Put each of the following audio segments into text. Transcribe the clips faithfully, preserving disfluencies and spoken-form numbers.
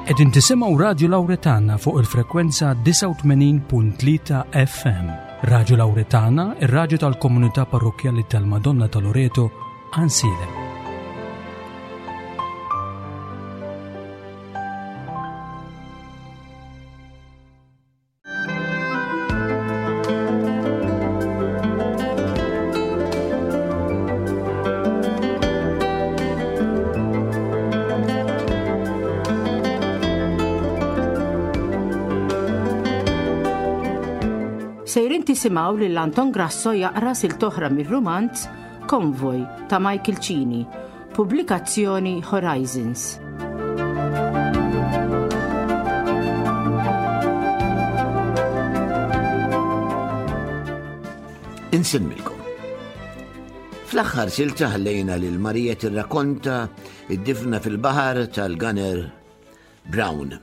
Qegħdin tisimgħu Radju Lawretana fuq il-frekwenza disgħa u tmenin punt tlieta F M. Radju Lawretana, ir-radju tal-Komunità Parrokkjali tal-Madonna ta' Loreto, Għajnsielem. Sejrin tisimgħu lil Anton Grasso jaqra silta oħra mir-rumanz Konvoj ta' Michael Cini, pubblikazzjoni Horizons. Insemmilkom. Fl-aħħar silta ħallejna lil Marija tirrakonta id-difna fil-baħar tal-Gunner Brown.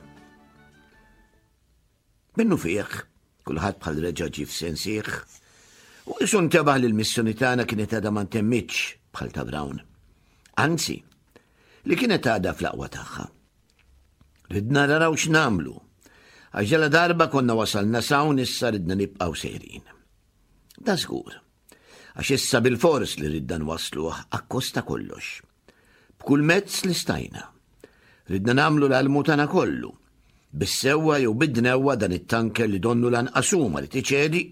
Minnu fih, kulħadd bħal reġa' ġie f'sensih, u qisu ntebaħ li l-missjoni tagħna kienet għadha ma ntemmitx bħal ta' Brown. Anzi, li kienet għadha fl-aqwa tagħha. Ridna naraw x'nagħmlu, għax ġala darba konna wasalna s'hawn, issa ridna nibqgħu sejrin. Da żgur, għax issa bil-fors li ridna nwasluh akkost ta' kollox. B'kull mezz li stajna. Ridna nagħmlu l-almu tagħna kollu. Bis-sewwa jew bid-dnewwa, dan it-tanker li donnu lanqas hu ma ried iċedi,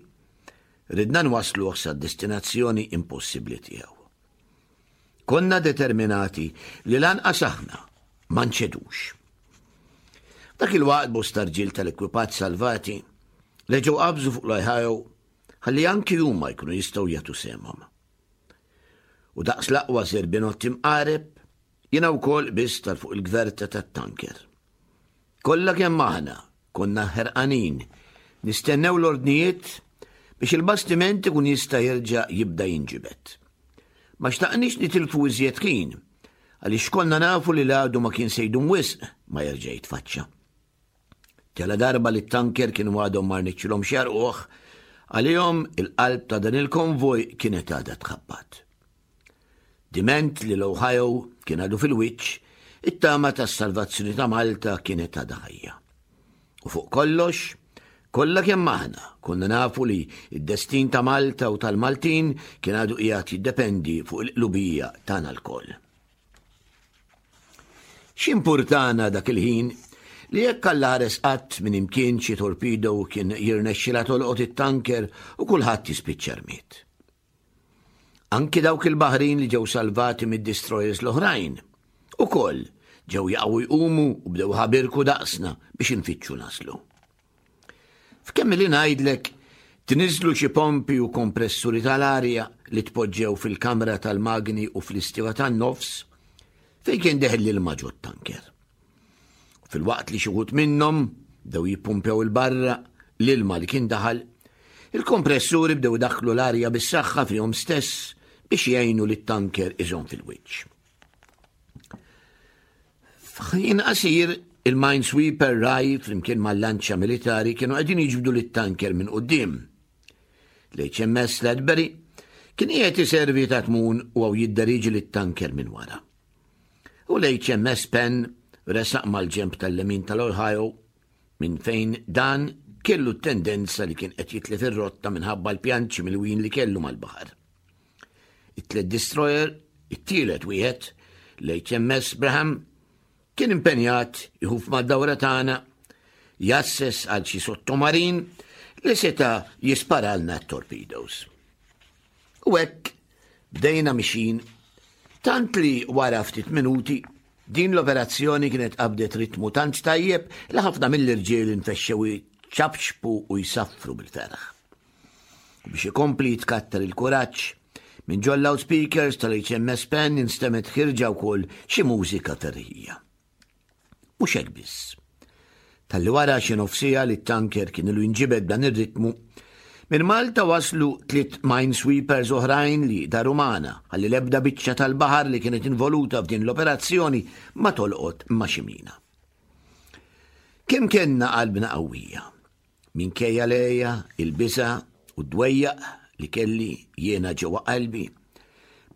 ridna nwasluh sa destinazzjoni impossibbli tiegħu. Konna determinati li lanqas aħna ma nċedux. Dak il-waqt bosta rġiel tal-ekwipaġġ salvati reġgħu qabżu fuq l-Ohio ħalli anki huma jkunu jistgħu jagħtu sehemhom. U daqs l-aqwa zerbinot imqareb, jiena wkoll qbiżt għal fuq il-gverta tat-tanker. Kollha kemm aħna konna ħerqanin nistennew l-ordnijiet biex il-bastiment ikun jista' jerġa' jibda jinġibed. Ma xtaqniex nitilfu iżjed ħin, għaliex konna nafu li l-għadu ma kien se jdum wisq ma jerġa' jitfaċċa. Ġala darba li t-tanker kienu għadhom ma rnexxilhomx jgħarrquh, għalihom il-qalb ta' dan il-konvoj kienet għadha tħabbat. Diment li l-Ohio kien għadu fil-wiċċ, it-tama tas salvazzjoni ta' Malta kienet għadha ħajja. U fuq kollox, kollha kemm aħna konna nafu li id-destin ta' Malta u tal-Maltin kien għadu qiegħed jiddependi fuq il-qlubija tagħna lkoll. X'impurtana dak il-ħin li jekk Alla ħares qatt minn imkien xi torpedo kien jirnexxila tolqot it-tanker u kulħadd jispiċċa rmied? Anki dawk il-baħrin li ġew salvati mid-destroyers l-oħrajn ukoll ġew jaqgħu jqumu u bdew ħabirku daqsna biex infittxu naslu. F'kemm li ngħidlek tniżlu xi pompi u kompressuri tal-arja li tpoġġew fil-kamra tal-magni u fl-istiva tan-nofs fejn kien deħel l-ilma ġot-tanker. Filwaqt li xi wħud minnhom bdew jippumpjaw 'il barra l-ilma li kien daħal, il-kompressuri bdew daħlu l-arja bis-saħħa fihom stess biex jgħinu li t-tanker iżomm fil-wiċċ. F'ħin qasir, il-minesweeper Rye flimkien mal-lanċa militari kienu qegħdin jiġbdu lit-tanker minn quddiem. L-H M S Ledbury kien qiegħed iservi ta' tmun u għaw jidderiġi lit-tanker minn wara. U l-H M S Penn resaq mal-ġemp tal-lemin tal-Ohio, minn fejn dan kellu tendenza li kien qed jitlef ir-rotta minħabba l-pjanċi milwijin li kellu mal-baħar. It-tliet destroyer, it-tielet wieħed, l-H M S Braham, kien impenjat iħuf mad-dawra tagħna, jgħasses għal xi sottomarin li seta' jisparalna torpedoes. U hekk bdejna mixin, tant li wara ftit minuti din l-operazzjoni kienet qabdet ritmu tant tajjeb li ħafna mill-irġiel infexxew ċapċpu u jsaffru bil-ferħ. U biex ikompli jitkattar il-kuraġġ, minn ġol loudspeakers tal-H M S Penn instemgħet ħierġa wkoll xi mużika ferrieħija. Mhux hekk biss. Talli wara xi nofs siegħa li t-tanker kien ilu jinġibed dan ir-ritmu, minn Malta waslu tliet minesweepers oħrajn li daru magħna ħalli l-ebda biċċa tal-baħar li kienet involuta f'din l-operazzjoni ma tolqot ma' xi mina. Kemm kellna qalbna qawwija! Minkejja l-għeja, il-biża' u d-dwejjaq li kelli jiena ġewwa qalbi.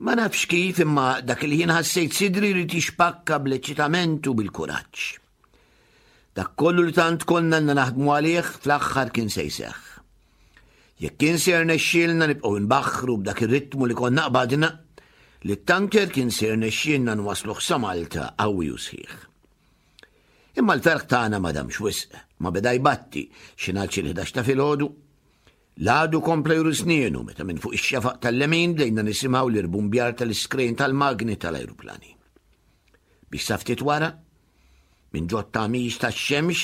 Ma nafx kif, imma dak il-ħin ħassejt sidri li tixpakka bl-eċitament u bil-kuraġġ. Dak kollu li tant konna naħdmu għalih fl-aħħar kien se jseħħ. Jekk kien se jirnexxielna nibqgħu nbaħħru b'dak ir-ritmu li konna qbadna, li t-tanker kien se jirnexxielna nwasluh sa Malta qawwi u sħiħ. Imma l-ferħ tagħna ma damx wisq, ma beda jbatti xi nhar xi l-ħdax ta' filgħodu. L-għadu kompla juri snienu meta minn fuq ix-xefaq tal-lemin bdejna nisimgħu l-irbumbjar tal-iskrejn tal-magni tal-ajruplani. Biex sa ftit wara, minn ġo t-tagħmix tax-xemx,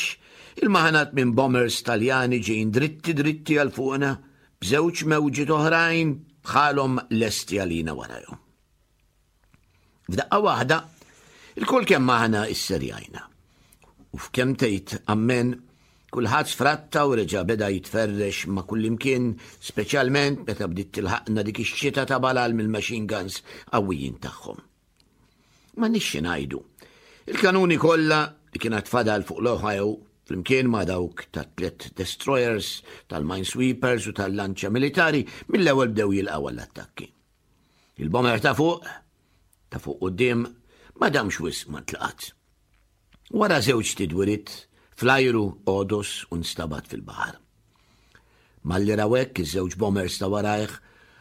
il-maħnat minn bombers Taljani ġejjin dritti dritti għal fuqna b'żewġ mewġiet oħrajn bħalhom lesti għalina warajhom. F'daqqa waħda, ilkoll kemm aħna isserjajna. U f'kemm tgħid ammen, kulħadd sfratta u reġa' beda jitferrex ma' kullimkien, speċjalment meta bdiet tilħaqna dik ix-xita ta' balal mill-machine guns qawwijin tagħhom. Ma nixxi ngħidu. Il-kanuni kollha li kienet fadal fuq l-Ohio flimkien ma' dawk ta' tliet destroyers, tal-minesweepers u tal-lanċa militari mill-ewwel bdew jilqgħu għall-attakki. Il-bomber ta' fuq, ta' fuq quddiem, ma damx wisq ma ntlaqat. Wara żewġ tidwirit, fl-ajru għodos u nstabat fil-baħar. Malli raw hekk iż-żewġ bombers ta' warajh,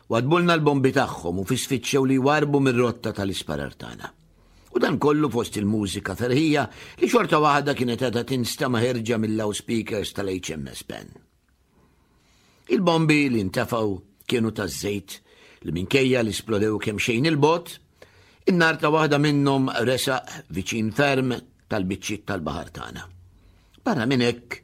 wadbulna l-bombi tagħhom u fisfiċċew li jwarbu mir-rotta tal-isparar tagħna. U dan kollu fost il-mużika ferħija li xorta waħda kienet għadha tinstema' ħerġa mill-loudspeakers tal-H M S Penn. Il-bombi li ntefgħu kienu taż-żejt li minkejja li splodew kemm xejn il-bogħod, in-nar ta' waħda minnhom resaq viċin ferm tal-biċċiet tal-baħar tagħna. Barra minn hekk,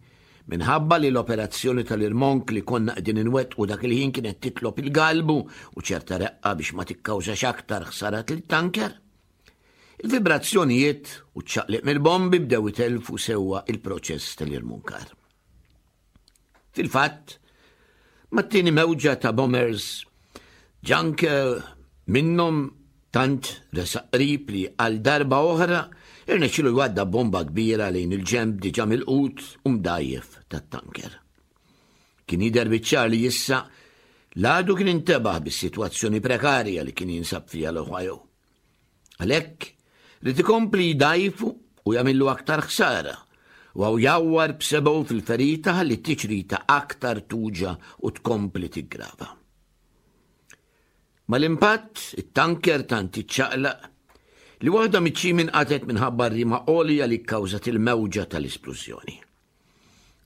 minħabba li l-operazzjoni tal-irmonk li konna qegħdin inwettqu dak il-ħin kienet titlob il-galbu u ċerta reqqa biex ma tikkawżax aktar ħsarat lit-tanker, il-vibrazzjonijiet u ċ-ċaqliq mill-bombi bdew itelfu sewwa il-proċess tal-irmunkar. Fil-fatt, mat-tieni mewġa ta' bombers, ġanke minnhom tant resaq qrib li għal darba oħra irnexxielu jwadda bomba kbira lejn il-ġemb diġà milqut u mdajjef tat-tanker. Kien jidher biċ-ċar li issa l-għadu kien intebaħ bis-sitwazzjoni prekarja li kien jinsab fiha l-Ohio. Għalhekk li tikompli jdajfu u jagħmillu aktar ħsara u għaw jawwar b'sebgħu fil-ferita ħalli t-tiċrita aktar tuġa u tkompli tiggrava. Mal-impatt, it-tanker tant iċċaqlaq li waħda miċ-ċimi nqatgħet minħabba r-rima għolja li kkawżat il-mewġa tal-isplużjoni.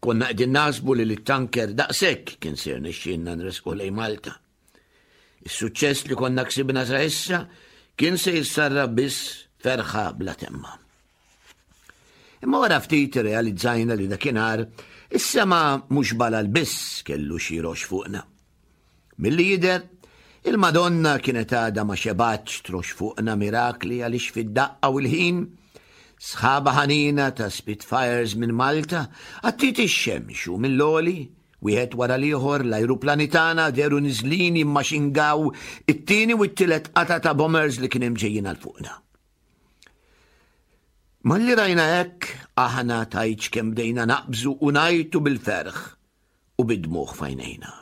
Konna qegħdin naħsbu li l-tanker daqshekk kien se jirnexxielna nresqu lejn Malta. Is-suċċess li konna ksibna sa issa kien se jissarra biss ferħa bla temma. Imma wara ftit realizzajna li dakinhar is-sema mhux balal biss kellu xi rox fuqna. Milli jidher, il-Madonna kienet għadha ma xebatx trox fuqna mirakli għaliex fid-daqqa u l-ħin sħaba ħanina ta' Spitfires minn Malta għattiet ix-xemx u mill-għoli wieħed wara l-ieħor l-ajruplani tagħna dehru niżlin jimmaxingaw it-tieni u t-tielet qata ta' bombers li kien hemm ġejjin għal fuqna. Malli rajna hekk aħna tajċ kemm bdejna naqbżu u ngħajtu bil-ferħ u bid-dmugħ f'għajnejna.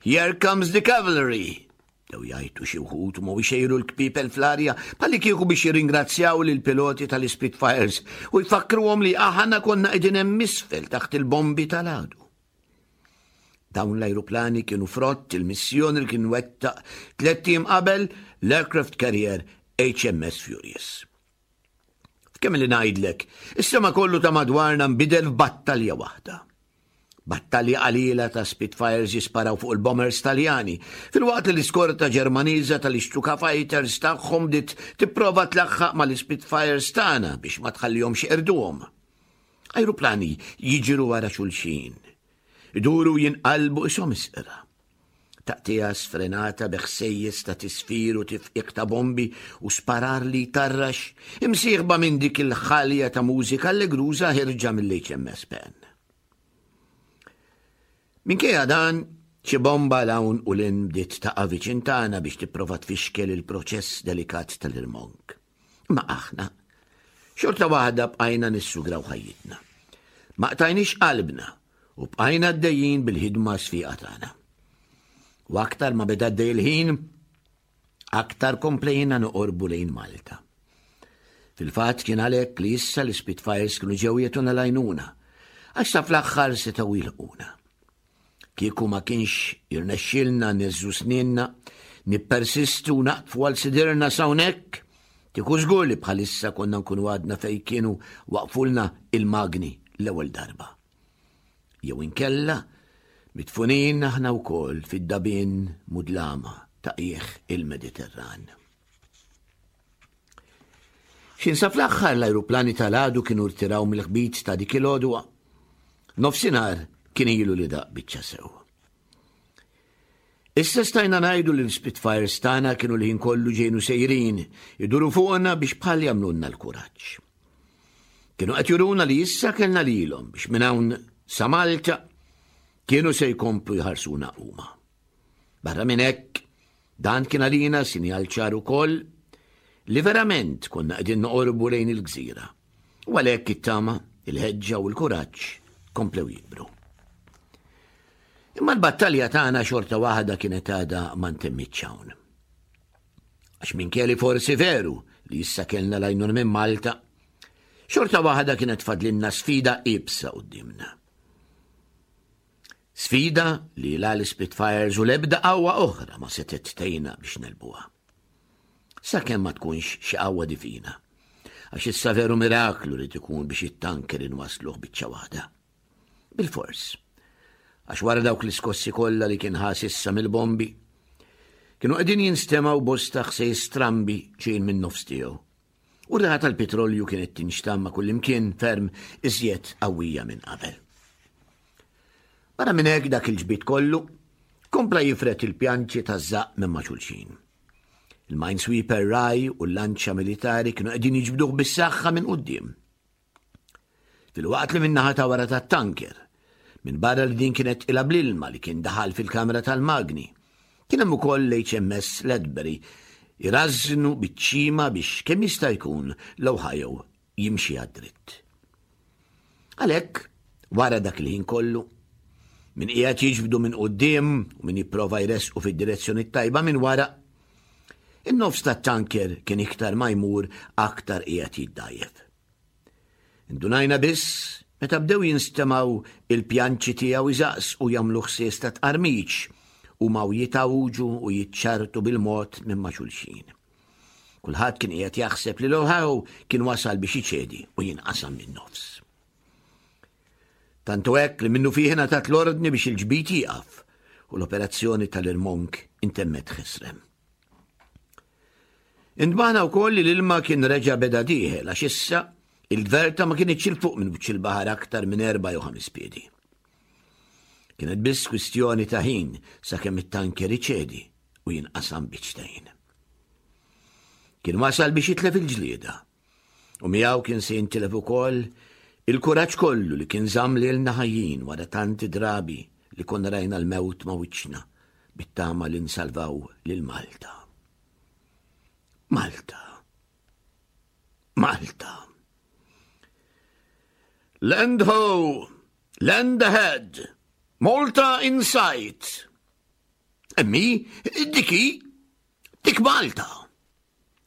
"Here comes the cavalry!" Dew jgħajtu xi wħud u ma jxejru l-kpipel fl-arja bħalli kieku biex jirringrazzjaw lil piloti tal-Spitfires u jfakkruhom li aħna konna qegħdin hemm isfel taħt il-bombi tal-għadu. Dawn l-ajruplani kienu frott il-missjoni li kien wettaq tlett ijiem qabel l-aircraft carrier H M S Furious. F'kemm li ngħidlek, is-sema kollu ta' madwarna nbidel f'battalja waħda. Battalja qalila ta' Spitfires jisparaw fuq il-bombers Taljani, filwaqt li l-iskorta Ġermaniża tal-Stuka Fighters tagħhom bdiet tipprova tlaħħaq mal-Spitfires tagħna biex ma tħallihomx jeqirduhom. Ajruplani jiġru wara xulxin, iduru jinqalbu qishom isqra. Taqtigħa sfrenata bi ħsejjes ta' tisfir u tifqiq ta' bombi u sparar li tarrax, imsieħba minn dik il-ħalja ta' mużika allegruża ħirġa mill-H M S Penn. Minkejja dan, xi bomba 'l hawn u 'l hinn bdiet taqa' viċin tagħna biex tipprova tfixkel il-proċess delikat tal-irmonk. Ma aħna, xorta waħda bqajna nissugraw ħajjitna. Ma qtajniex qalbna u bqajna għaddejjin bil-ħidma sfiqa tagħna. U aktar ma beda għaddej il-ħin, aktar komplejna noqorbu lejn Malta. Fil-fatt kien għalhekk li issa l-Spitfires kienu ġew jagħtuna l-għajnuna, għax sa fl-aħħar setgħu jilħquna. Kieku ma kienx jirnexxilna neżżu sninna, nippersistu u naqtfu għal sidirna s'hawnhekk, kieku żgur li bħalissa konna nkunu għadna fejn kienu waqfulna il-magni l-ewwel darba. Jew inkella midfunin aħna wkoll fid-dabien mudlama ta' qiegħ il-Mediterran. X'ħin sa fl-aħħar l-ajruplani tal-għadu kienu rtiraw mill-ħbit ta' dik il-għodwa. Nofsinhar kien ilu li daq biċċa sew. Issa stajna ngħidu li l-Spitfires tagħna kienu l-ħin kollu ġejnu sejrin, iduru fuqna biex bħal jagħmlulna l-kuraġġ. Kienu qed juruna li issa kellna lilhom biex minn hawn sa Malta kienu se jkomplu jħarsuna huma. Barra minn hekk, dan kien għalina sinjal ċar ukoll li verament konna qegħdin noqorbu lejn il-gżira. U għalhekk it-tama, il-ħeġġa u l-kuraġġ komplew jikbru. Imma l-battalja tagħna xorta waħda kienet għadha ma ntemmitx hawn. Għax minkejja li forsi veru li issa kellna l-għajnuna minn Malta, xorta waħda kienet fadlinna sfida iebsa qudiemna. Sfida li la l-Spitfires u l-ebda qawwa oħra ma setgħet tgħinna biex negħlbuha. Sakemm ma tkunx xi qawwa divina. Għax issa veru miraklu li tkun biex it-tanker inwasluh biċċa waħda. Bil-fors. Għax wara dawk l-iskossi kollha li kien ħa s'issa mill-bombi, kienu qegħdin jinstemgħu bosta ħsejjes strambi ġejjin minn nofs tiegħu. U r-riħa tal-petrolju kienet tinxtamm ma' kullimkien ferm iżjed qawwija minn qabel. Barra minn hekk dak il-ġbid kollu kompla jifred il-pjanċi taż-żaqq minn ma' xulxin. Il-minesweeper Rye u l-lanċa militari kienu qegħdin jiġbduh bis-saħħa minn quddiem. Filwaqt li min-naħa ta' wara tat-tanker, minn barra li din kienet ilha bl-ilma li kien daħal fil-kamra tal-magni, kien hemm ukoll l-H M S Ledbury irażnu biċ-ċima biex kemm jista' jkun l-Ohio jimxi għad-dritt. Għalhekk, wara dak il-ħin kollu, min qiegħed jiġbdu minn quddiem u min jipprova jresqu fid-direzzjoni tajba minn wara, in-nofs tat-tanker kien iktar ma jmur aktar qiegħed jiddajjef. Indunajna biss meta bdew jinstemgħu il-pjanċi tiegħu iżaqs u jagħmlu ħsies ta' tqarmiċ u maw jitawġu u jitċartu bil-mod minn ma' xulxin. Kulħadd kien qiegħed jaħseb li l-Ohio kien wasal biex iċedi u jinqasam minn nofs. Tantu hekk li minnufih ngħatat l-ordni biex il-ġbid jieqaf u l-operazzjoni tal-irmonk intemmet ħesrem. Intbaħna wkoll li l-ilma kien reġa beda dieħel, għax issa il-gverta ma kienx 'il fuq minn wiċċ il-baħar aktar minn erba' jew ħames piedi. Kienet biss kwistjoni ta' ħin sakemm it-tanker iċedi u jinqasam biċċtejn. Kien wasal biex jitlef il-ġlieda u miegħu kien se jintilef ukoll il-kuraġġ kollu li kien żamm lilna ħajjin wara tanti drabi li konna rajna l-mewt ma' wiċċna bit-tama li nsalvaw lil Malta. Malta. Malta. "Land ho! Land ahead! Malta in sight!" "Emmi, diki, dik Malta!"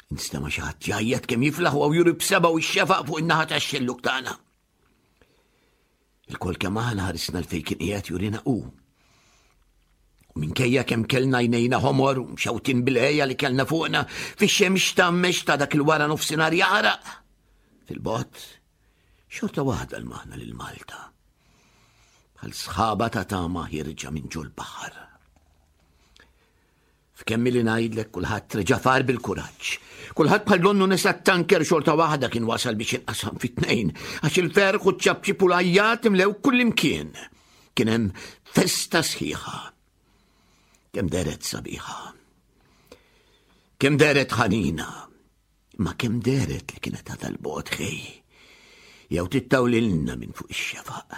Instema' xi ħadd jgħajjat kemm jiflaħ u juri b'sebgħu x-xefaq fuq in-naħa tax-xelluk tagħna. Ilkoll kemm aħna ħarisna 'l fejn kien qiegħed jurina hu. U minkejja kemm kellna għajnejna ħomor u mxawtin bil-għeja li kellna fuqna fix-xemx tgħammex ta' dak il-wara nofsinhar jaħraq. Fil-bogħod, xorta waħda lmaħna lil Malta. Bħal sħaba ta' tama ħierġa minn ġol-baħar. F'kemm li ngħidlek, kulħadd reġa' far bil-kuraġġ. Kulħadd bħal donnu nesa t-tanker xorta waħda kien wasal biex inqasam fit-tnejn, għax il-ferħ u ċ-ċapċip u l-għajjat imlew kullimkien. Kien hemm festa sħiħa. Kemm dehret sabiħa. Kemm dehret ħanina. Ma kemm dehret li kienet għadha 'l bogħod ħej. Jew tittawlilna minn fuq ix-xefaq.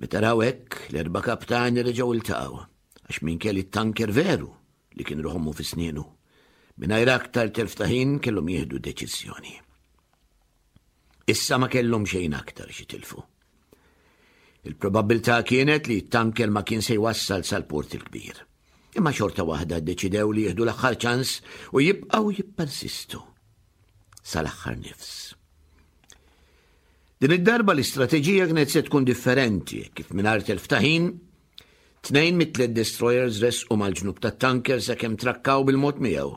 Meta raw hekk, l-erba' kaptani reġgħu iltaqgħu, għax minkejja li t-tanker veru li kien ruħ ommu fi snienu. Mingħajr aktar telf ta' ħin kellhom jieħdu deċiżjoni. Issa ma kellhom xejn aktar x'jitilfu. Il-probabilità kienet li t-tanker ma kien se jwassal sal-port il-kbir. Imma xorta waħda ddeċidew li jieħdu l-aħħar ċans u jibqgħu jippersistu. sal-aħħar nifs. Din id-darba l-istrateġija kienet se tkun differenti kif mingħajr telf ta' ħin, tnejn mit-tliet destroyers resqu mal-ġnub tat-tanker sakemm trakkaw bil-mod miegħu.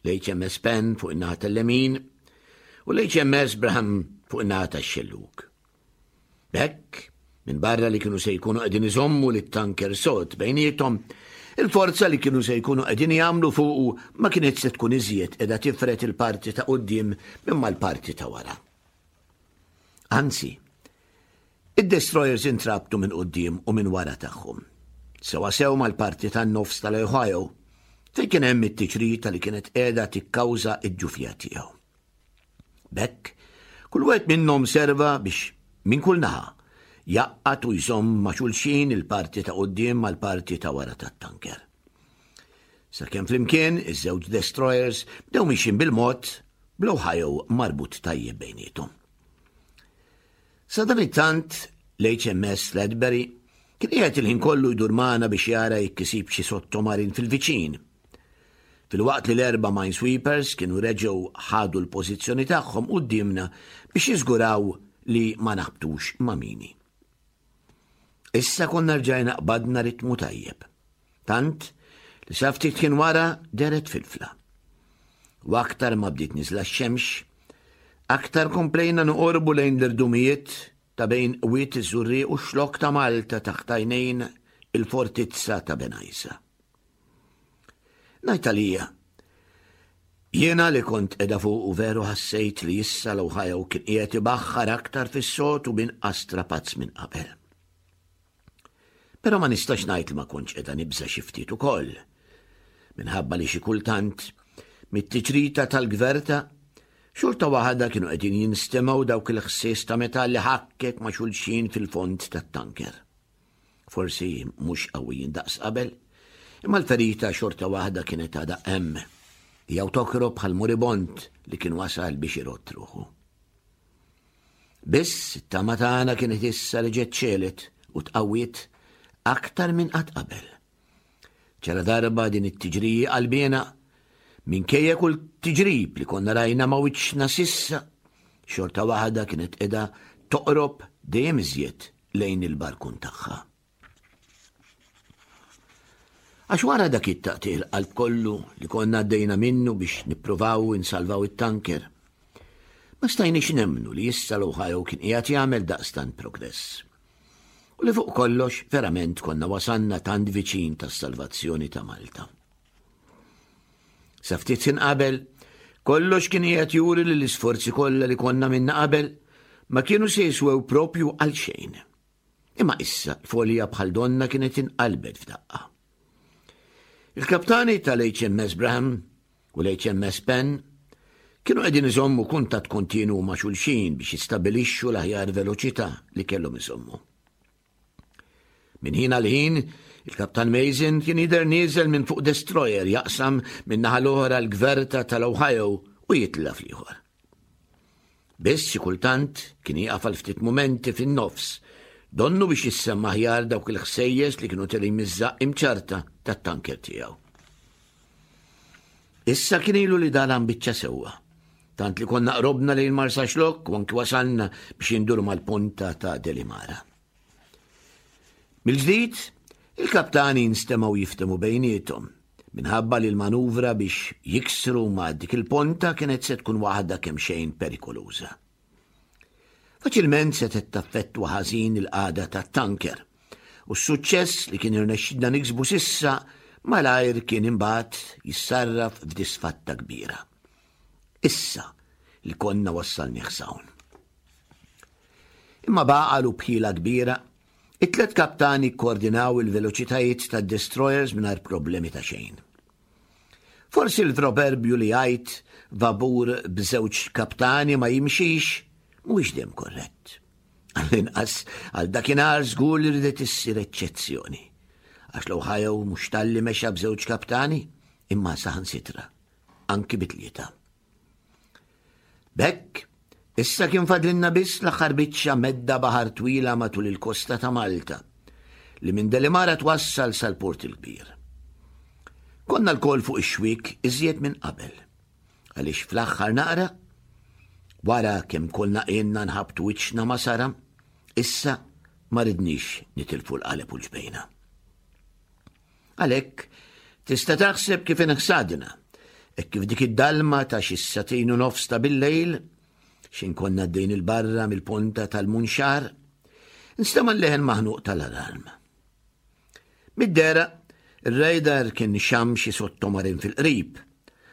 L-H M S Penn fuq in-naħa tal-lemin u l-H M S Braham fuq in-naħa tax-xellug. B'hekk, minn barra li kienu se jkunu qegħdin iżommu lit-tanker sod bejniethom, il-forza li kienu se jkunu qegħdin jagħmlu fuqu ma kienet se tkun iżjed qiegħda tifred il-parti ta' quddiem minn mal-parti ta' wara. Anzi, id-destroyers intrabtu minn quddiem u minn wara tagħhom. Sewa sew mal-parti tan-nofs tal-Ohio, fejn kien hemm it-tiċrita li kienet qiegħda tikkawża id-dgħufija tiegħu. B'hekk, kull wieħed minnhom serva biex minn kull naħa jgħaqqad u jżomm ma' xulxin il-parti ta' quddiem mal-parti ta' wara tat-tanker. Sakemm flimkien iż-żewġ destroyers bdew mixin bil-mod bl-Ohio marbut tajjeb bejniethom. Sadanittant l-H M S Ledbury kien qiegħed il-ħin kollu jdur magħna biex jara jekk isib xi sottomarin fil-viċin. Filwaqt li l-erba' minesweepers kienu reġgħu ħadu l-pożizzjoni tagħhom quddiemna biex jiżguraw li ma naħbtux ma' mini. Issa konna rġajna qbadna ritmu tajjeb. Tant li sa ftit kien wara dehret Filfla. U aktar ma bdiet niżla x-xemx, aktar komplejna noqorbu lejn l-irdumijiet ta' bejn Wied iż-Żurrieq u x-Xlokk ta' Malta taħt għajnejn il-fortizza ta' Bengħajsa. Ngħid għalija, jiena li kont qiegħda fuq u veru ħassejt li issa l-Ohio kien qiegħed ibaħħar aktar fis-sod u b'inqas strapazz minn qabel. Però ma nistax ngħid li ma kontx qiegħda nibża' xi ftit ukoll. Minħabba li xi kultant mit-tiċrita tal-gverta xorta waħda kienu qegħdin jinstemgħu dawk il-ħsies ta' metalli ħakkek ma' xulxin fil-fond tat-tanker. Forsi mhux qawwijin daqs qabel, imma l-ferita xorta waħda kienet għadha hemm. Jew tokrob bħal moribond li kien wasal biex irott ruħu. Biss it-tama tagħna kienet issa li ġiet ċelet u tqawwiet aktar minn qatt qabel. Ġala darba din it-tiġrija qalbiena, minkejja kull tiġrib li konna rajna ma' wiċċna s'issa, xorta waħda kienet qiegħda toqrob dejjem iżjed lejn il-barkun tagħha. Għax wara dak it-taqtigħ il-qalb kollu li konna għaddejna minnu biex nippruvaw insalvaw it-tanker, ma stajniex nemmnu li issa l-Ohio kien qiegħed jagħmel daqstant progress. U li fuq kollox verament konna wasanna tant viċin tas-salvazzjoni ta' Malta. Sa ftit ħin qabel, kollox kien qiegħed juri li l-isforzi kollha li konna għamilna qabel ma kienu se jiswew propju għal xejn. Imma issa l-folja bħal donna kienet inqalbet f'daqqa. Il-kaptani tal-H M S Braham u l-H M S Penn kienu qegħdin iżommu kuntatt kontinu ma' xulxin biex jistabilixxu l-aħjar veloċità li kellhom iżommu. Minn ħin għal ħin, il-kaptan Mason kien jidher nieżel minn fuq destroyer jaqsam minn naħa l-oħra l-gverta tal-Ohio u jitla' fl-ieħor. Biss xi kultant kien jieqaf għal ftit mumenti fin-nofs, donnu biex jissemma aħjar dawk il-ħsejjes li kienu telgħin miż-żaqq imċarta tat-tanker tiegħu. Issa kien ilu li dalam biċċa sewwa, tant li konna qrobna lejn Marsaxlokk u anki wasalna biex induru mal-ponta ta' Delimara. Mill-ġdid, il-kaptani nstemgħu jiftehmu bejniethom, minħabba li l-manuvra biex jiksru ma' dik il-ponta kienet se tkun waħda kemm xejn perikoluża. Faċilment se taffettwa ħażin il-qagħda tat-tanker u s-suċċess li kien irnexxidna niksbu s'issa malajr kien imbagħad jissarraf f'disfatta kbira. Issa li konna wassalnieh s'hawn. Imma b'għaqal u b'ħila kbira, it-tlet kaptani koordinaw il-veloċitajiet tad-destroyers mingħajr problemi ta' xejn. Forsi l-proverbju li jgħid vapur b'żewġ kaptani ma jimxix mhuwiex dejjem korrett. Għall-inqas għal dakinhar żgur li ridet issir eċċezzjoni. Għax l-Ohio mhux talli mexa b'żewġ kaptani, imma saħansitra, anki bi tlieta. B'hekk, issa kien fadlinna biss l-aħħar biċċa medda baħar twila matul il-kosta ta' Malta, li minn Delimara twassal sal-Port il-Kbir. Konna lkoll fuq ix-xwik iżjed minn qabel, għaliex fl-aħħar naqra Wara kemm konna ilna nħabbtu wiċċna ma' saram, issa ma ridniex nitilfu l-qaleb u l-ġbejna. Għalhekk, tista' taħseb kif inħsadna, hekk kif dik id-dalma ta' xi sagħtejn u nofs ta' bil-lejl, x'ħin konna għaddejn 'il barra mill-ponta tal-Munxar, nstema' l-leħen maħnuq tal-alarm. Mid-dehra, ir-radar kien xam xi sottomarin fil-qrib,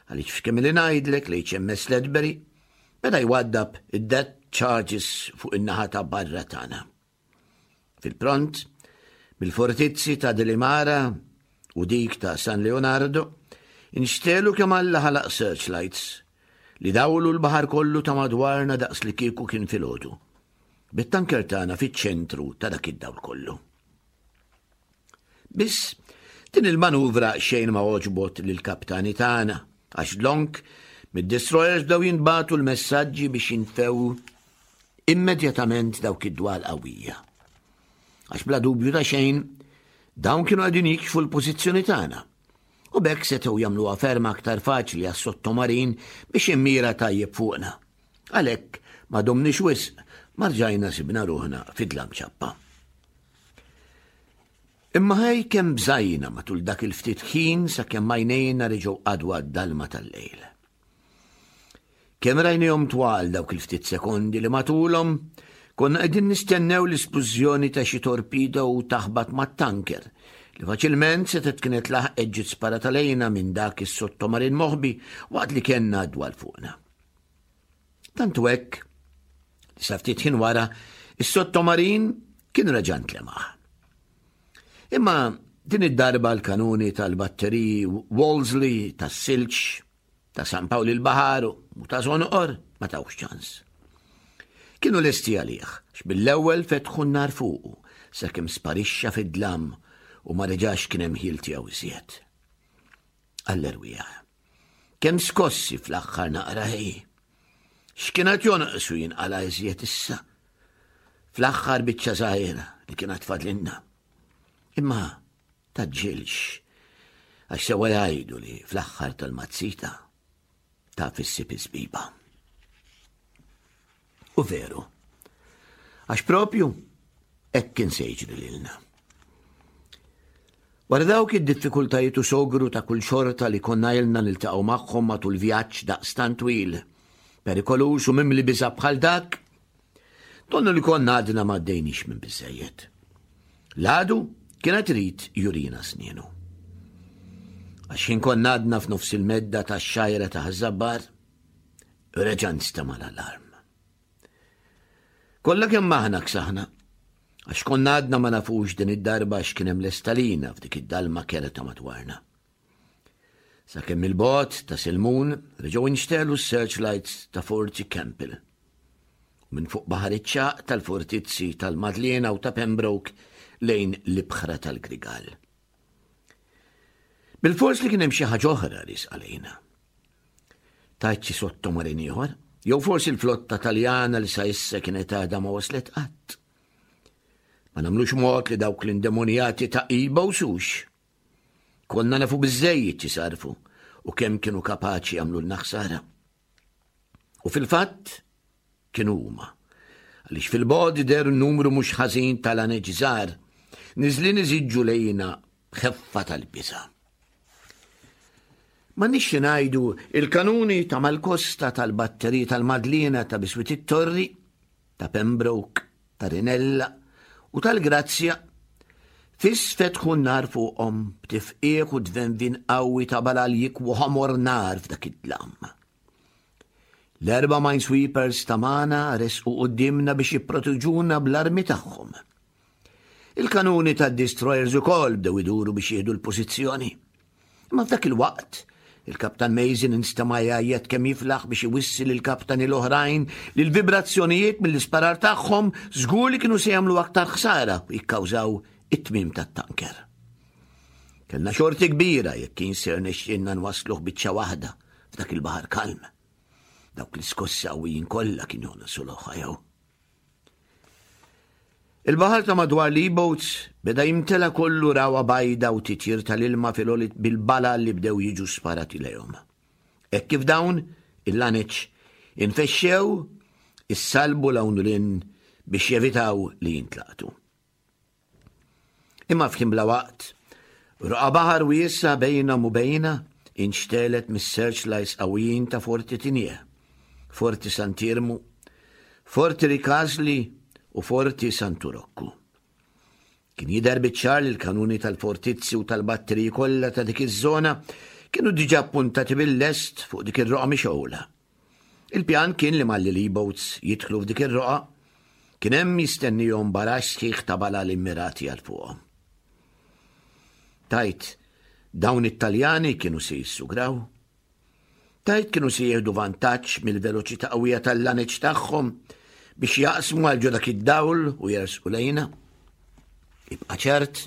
għaliex f'kemm li ngħidlek l-H M S Ledbury beda jwaddab id-depth charges fuq in-naħa ta' barra tagħna. Fil-pront, mill-fortizzi ta' Delimara u dik ta' San Leonardo, inxtegħlu kemm Alla ħalaq searchlights li dawlu l-baħar kollu ta' madwarna daqs li kieku kien filgħodu. Bit-tanker tagħna fiċ-ċentru ta' dak id-dawl kollu. Biss din il-manuvra xejn ma għoġbot lill-kaptani tagħna, għax dlonk mid-destroyers bdew jinbagħtu l-messaġġi biex jinfew immedjatament dawk id-dwal qawwija. Għax bla dubju ta' xejn, dawn kienu qegħdin jikxfu l-pożizzjoni tagħna. U b'hekk setgħu jagħmluha ferm aktar faċli għas-sottomarin biex immira tajjeb fuqna. Għalhekk ma domniex wisq ma rġajna sibna ruħna fid-dlam ċappa. Imma ħej kemm bżajna matul dak il-ftit ħin sakemm għajnejna reġgħu qagħdu għad-dalma tal-lejl. Kemm rajnihom twal dawk il-ftit sekondi li matulhom konna qegħdin nistennew l-isplużjoni ta' xi torpedo u taħbat mat-tanker li faċilment setgħet kienet laħqet ġiet sparata lejna minn dak is-sottomarin moħbi waqt li kellna dwal fuqna. Tantu hekk li sa ftit ħin wara is-sottomarin kien reġa' ntlemaħ. Imma din id-darba l-kanuni tal-batteriji Wolseley, tas-Silġ, ta' San Pawl il-Baħar u ta' Żonqor ma tawx ċans. Kienu lesti għalih, x'bil-ewwel fetħu n-nar fuqu sakemm sparixxa fid-dlam u ma reġax kien hemm ħil tiegħu iżjed. Għall-erwieħ. Kemm skossi fl-aħħar naqra ħej. X'kienet jonqsu jinqala iżjed issa? Fl-aħħar biċċa żgħira li kienet fadlinna. Imma tgħaġġilx, għax sewa jgħidu li fl-aħħar tal-mazzita taf issib iż-żbiba. U veru, għax propju hekk kien se jiġri lilna. Wara dawk id-diffikultajiet u sogru ta' kull xorta li konna ilna niltaqgħu magħhom matul vjaġġ daqstant twil, perikoluż u mimli biża' bħal dak, donnu li konna għadna ma għaddejniex minn biżejjed. L-għadu kien irid jurina snienu. Għax x'ħin konna għadna f'nofs il-medda ta' xajra ta' Ħaż-Żabbar, reġa' nstema' l-alarm. Kollha kemm aħna ksaħna, għax konna għadna ma nafux din id-darba x'kien hemm lest għalina f'dik id-dalma kerha ta' madwarna. Sakemm il-bogħod ta' Selmun reġgħu nxtegħlu s-searchlights ta' Forti Campbell. U minn fuq Baħar iċ-Ċagħaq tal-fortizzi tal-Madliena u ta' Pembroke lejn l-ibħra tal-Grigal. Bil-fors li kien hemm xi ħaġa oħra riesqa lejna. Tgħid xi sottomarin ieħor, jew forsi l-flotta Taljana li sa issa kienet għadha ma waslet qatt. Ma nagħmlux mod li dawk l-indemonjati ta' iba u sux. Konna nafu biżejjed x'isarfu u kemm kienu kapaċi jagħmlu ħsara. U fil-fatt kienu huma. Għaliex fil-bogħod deher numru mhux ħażin tal-laneċ żgħar, niżlin iżiġġu lejna b'ħeffa tal-biża'. Ma nix ngħidu il-kanuni ta' mal-kosta tal-batteriji tal-Madliena ta' biswit it-Torri, ta' Pembroke, ta' Rinella u tal-Grazzja, fis fetħu n-nar fuqhom b'tifqigħ u dvenvin qawwi ta' balal jikwu ħomor nar f'dak id-dlam. L-erba' minesweepers ta' magħna resqu quddiemna biex jipproteġuna bl-armi tagħhom. Il-kanuni tad-destroyers ukoll bdew iduru biex jieħdu l-pożizzjoni. Imma f'dak il-waqt, il-Kaptan Mason instema' jgħajjat kemm jiflaħ biex iwissi lill-kaptani l-oħrajn li l-vibrazzjonijiet mill-isparar tagħhom żgur li kienu se jagħmlu aktar ħsara u jikkawżaw it-tmim tat-tanker. Kellna xorti kbira jekk kien se jirnexxilna nwasluh biċċa waħda f'dak il-baħar kalm. Dawk l-iskossi qawwijin kollha kienu jonqsu l-ħajja. Il-baħar ta' madwar l-E-boats beda jimtela kollu rawa bajda u titjir tal-ilma fil bil-bala li bdew jiġu sparati lejhom. Hekk kif dawn, il-laneċ, infexxew Issallbu 'l hawn u 'l hinn biex jevitaw li jintlaqtu. Imma f'ħin bla waqt, roqgħa baħar wiesgħa bejnhom u bejna inxtegħlet mis-searchlights qawwijin ta' Forti Tignè, Forti Sant'Iermu, Forti Ricasoli u Forti Santu Rokku. Kien jidher biċ-ċar li l-kanuni tal-fortizzi u tal-batteriji kollha ta' dik iż-żona kienu diġà ppuntati bil-lest fuq dik ir-roqgħa mixgħula. Il-pjan kien li malli l-E-boats jidħlu f'dik ir-roqgħa, kien hemm jistennihom baraxx sħiħ ta' balal immirati għal fuqhom. Tgħid, dawn it-Taljani kienu se jissugraw? Tgħid kienu se jieħdu vantaġġ mill-veloċità qawwija tal-laneċ tagħhom biex jaqsmu għal ġo dak id-dawl u jersqu lejna? Ibqa' ċert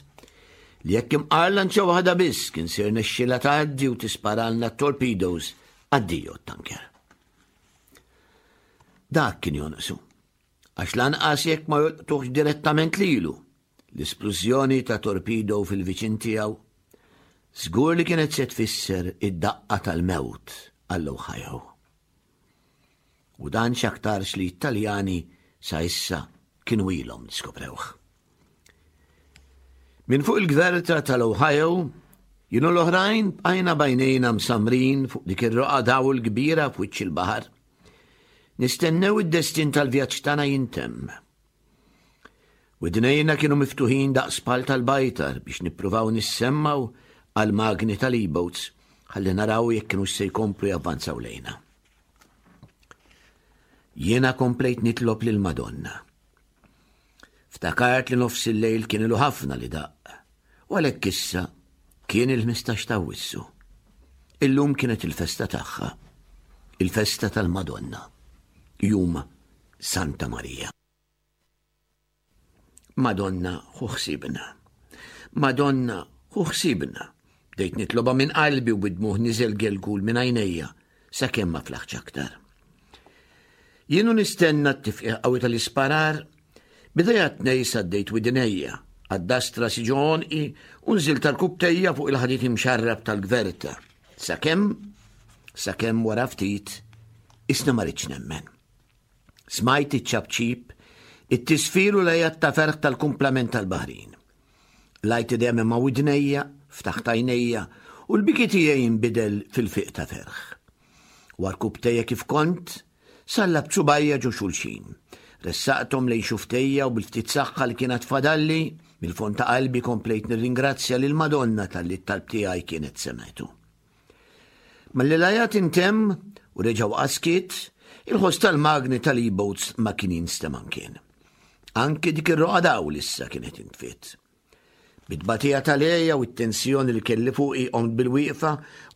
li jekk imqar lanċa waħda biss kien se jirnexxilha tgħaddi u tisparalna t-torpedoes, addio t-tanker. Dak kien jonqsu, għax lanqas jekk ma jolqtuhx direttament lilu, l-isplużjoni ta' torpedo fil-viċin tiegħu żgur li kienet se tfisser id-daqqa tal-mewt għall-Ohio. U dan x'aktarx li t-Taljani sa issa kienu ilhom disskoprewh. Minn fuq il-gverta tal-Ohio, jien u l-oħrajn bqajna b'għajnejna msammrin fuq dik ir-roqgħa dawl kbira f'wiċċ il-baħar. Nistennew id-destin tal-vjaġġ tagħna jintemm. Widnejna kienu miftuħin daqs pal tal-bajtar biex nippruvaw nissemmgħu għal magni tal-e-boats ħalli naraw jekk kienu se jkomplu javvanzaw lejna. Jiena komplejt nitlob lil Madonna. Ftakart li nofs il-lejl kien ilu ħafna li daqq, u għalhekk issa kien il-ħmistax ta' Awwissu. Illum kienet il-festa tagħha, il-festa tal-Madonna, jum Santa Marija. Madonna, ħu ħsibna. Madonna, ħu ħsibna. Bdejt nitloba minn qalbi u bid-dmugħ niżel gelgul minn għajnejja sakemm ma flaħtx aktar. Jien u nistenna t-tifqigħ qawwi tal-isparar, b'idejja t-tnejn saddejt widnejja, għaddast rasi ġo għonqi u nżilt għarkupptejja fuq il-ħadid imxarrab tal-gverta. Sakemm, sakemm wara ftit, isna ma ridtx nemmen. Smajt iċ-ċapċip, it-tisfir u l-għajat ta' ferħ tal-kumplament tal-baħrin. Lajt idejja minn ma' widnejja, ftaħt għajnejja u l-biki tiegħi jinbidel fil-fiq ta' ferħ. Għarkupptejja kif kont, sallabt subgħajja ġo xulxin. Ressaqthom lejn xuftejja u bil-ftit saħħa li kienet fadalli, mill-fond ta' qalbi komplejt nirringrazzja lil Madonna talli t-talb tiegħi kienet semgħetu. Malli l-għajat intemm u reġa' waqa' skiet, il-ħoss tal-magni tal-e-boats ma kien jinstema' mkien. Anki dik ir-roqgħa dawl issa kienet intfiet. Bit-tbatija tal-għeja u t-tensjoni li kelli fuqi qomt bil-wieqfa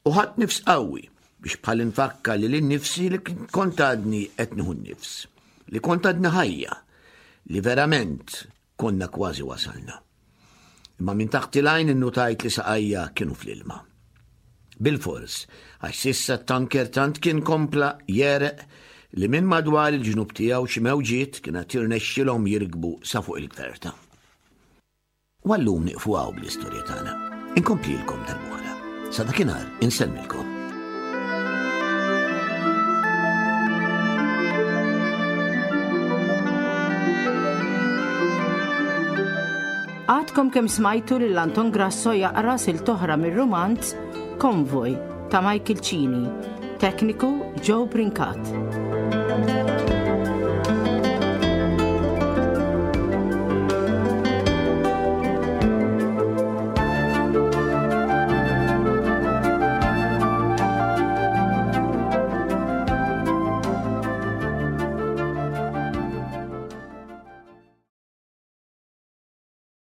u ħadt nifs qawwi biex bħal infakkar lili nnifsi li kont għadni qed nieħu n-nifs, li kont għadni ħajja, li verament konna kważi wasalna. Imma minn taħt il-għajn innutajt li saqajja kienu fl-ilma. Bilfors, għax s'issa t-tanker tant kien kompla jegħreq li minn madwar il-ġnub tiegħu xi mewġiet kienet jirnexxilhom jirkbu sa fuq il-gverta. U għallum nieqfu hawn bl-istorja tagħna. Inkomplilkom darb'oħra. Sa dakinhar insellmilkom. Għadkom kemm smajtu lil Anton Grasso jaqra silta oħra mir-rumanz Konvoj ta' Michael Cini, tekniku Joe Brincat.